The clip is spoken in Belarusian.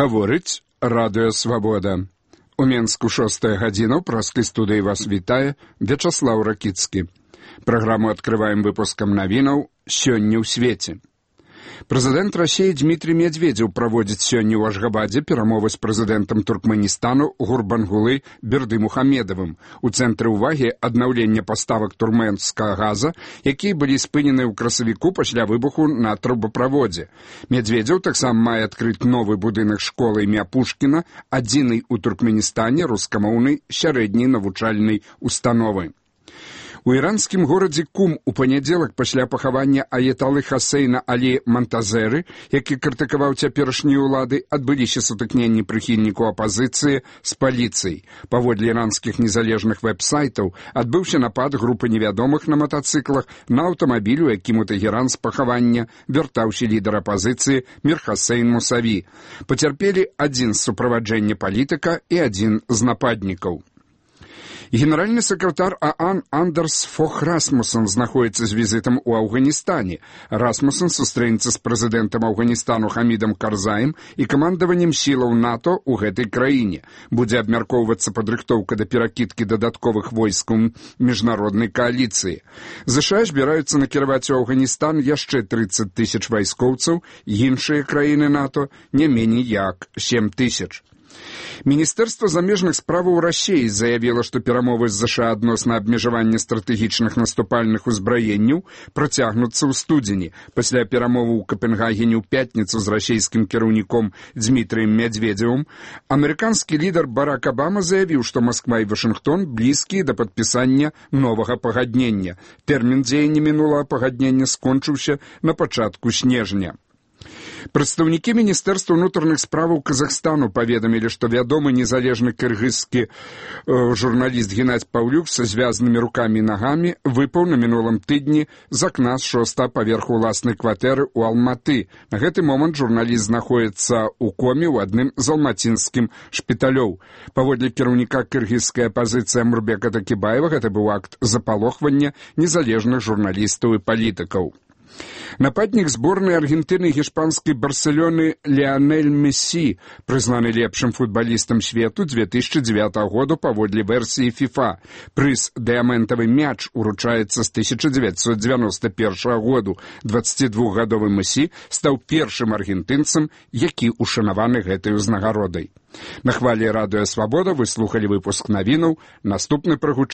Гаворыць Радыё Свабода. У Менску 6 гадзіна, ў праскай студыі вас вітае Вячаслаў Ракіцкі. Праграму адкрываем выпускам навінаў «Сёння ў свеце». Прэзідэнт Расіі Дмітрий Медведзеў праводзіць сёння ў Ашгабадзе перамовы з прэзідэнтам Туркменістану Гурбангулы Бердымухамедовым. У цэнтры ўвагі аднаўлення паставак туркменскага газа, якія былі спынены ў красавіку пасля выбуху на трубаправодзе. Медведзеў таксама мае адкрыць новы будынак школы імя Пушкіна, адзінай у Туркменістане рускамоўнай сярэдняй навучальнай установы. У іранскім горадзе Кум у панядзелак пасля пахавання аяталы Хасейна Алі Мантазеры, які крытыкаваў цяперашнія ўлады, адбыліся сутыкненні прыхільнікаў апазіцыі з паліцыяй. Паводле іранскіх незалежных вэб-сайтаў адбыўся напад групы невядомых на матацыклах на аўтамабіль, у якім у Тэгеран з пахавання вяртаўся лідар апазіцыі Мір Хасейн Мусаві. Пацярпелі адзін з суправаджэння палітыка і адзін з нападнікаў. Генеральны сакратар ААН Андерс Фох Расмуссен знаходзіцца з візітам у Афганістане. Расмуссен сустрэнецца з прэзідэнтам Афганістану Хамідам Карзаем і камандаваннем сілаў НАТО ў гэтай краіне. Будзе абмяркоўвацца падрыхтоўка да перакідкі дадатковых войскаў міжнароднай кааліцыі. ЗША збіраюцца накіраваць у Афганістан яшчэ 30 000 вайскоўцаў, іншыя краіны НАТО не меней як 7 000. Міністэрства замежных справаў Расіі заявіла, што перамовы з ЗША адносна абмежавання стратэгічных наступальных узбраенняў працягнуцца ў студзені. Пасля перамовы ў Капенгагене ў пятніцу з расійскім кіраўніком Дмітрыем Медведзевым амерыканскі лідар Барак Абама заявіў, што Масква і Вашынгтон блізкія да падпісання новага пагаднення. Тэрмін дзеяння мінулага пагаднення скончыўся на пачатку снежня. Прадстаўнікі Міністэрства ўнутраных справаў Казахстану паведамілі, што вядомы незалежны кыргызскі журналіст Геннадзь Паўлюк са звязанымі рукамі і нагамі выпаў на мінулым тыдні з акна з 6-го паверху ўласнай кватэры ў Алматы. На гэты момант журналіст знаходзіцца ў коме ў адным з алматынскім шпіталёў. Паводле кіраўніка кыргызскай апазіцыі Амурбека Такібаева, гэта быў акт запалохвання незалежных журналістаў і палітыкаў. Нападнік зборнай Аргентыны і гішпанскай Барселоны Ліанель Мессі, прызнаны лепшым футбалістам свету 2009 году паводле версіі ФІФА. Прыз «Дыяментавы мяч» уручаецца з 1991 году. 22-гадовы Мессі стаў першым аргентынцам, які ушанаваны гэтай узнагародай. На хвалі Радыё Свабода вы слухалі выпуск навінаў. Наступны прагучыць